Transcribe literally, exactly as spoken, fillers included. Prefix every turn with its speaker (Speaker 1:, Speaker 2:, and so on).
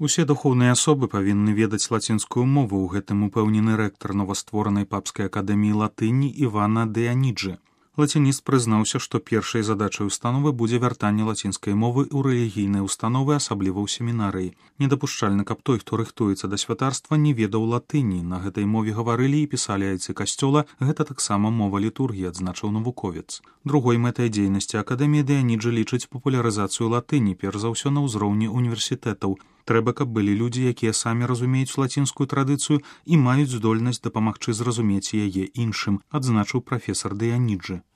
Speaker 1: Усе духоўныя асобы павінны ведаць лацінскую мову, у гэтым упэўнены рэктар новастворанай папскай акадэміі латыні Івана Деаніджы. Лацініст прызнаўся, што першай задачай установы будзе вяртанне лацінскай мовы ў рэлігійныя установы, асабліва ў семінарыі. Недапушчальна, каб той, хто рыхтуецца да святарства, не ведаў латыні. На гэтай мове гаварылі і пісалі айцы касцёла, гэта таксама мова літургіі, адзначыў навуковец. Другой мэтай дзейнасці акадэміі Деаніджы лічыць папулярызацыю латыні, перш за ўсё на ўзроўні універсітэтаў. Трэба, каб былі людзі, якія самі разумеюць лацінскую традыцыю і маюць здольнасць дапамагчы зразумець яе іншым, адзначыў прафесар Деаніджы.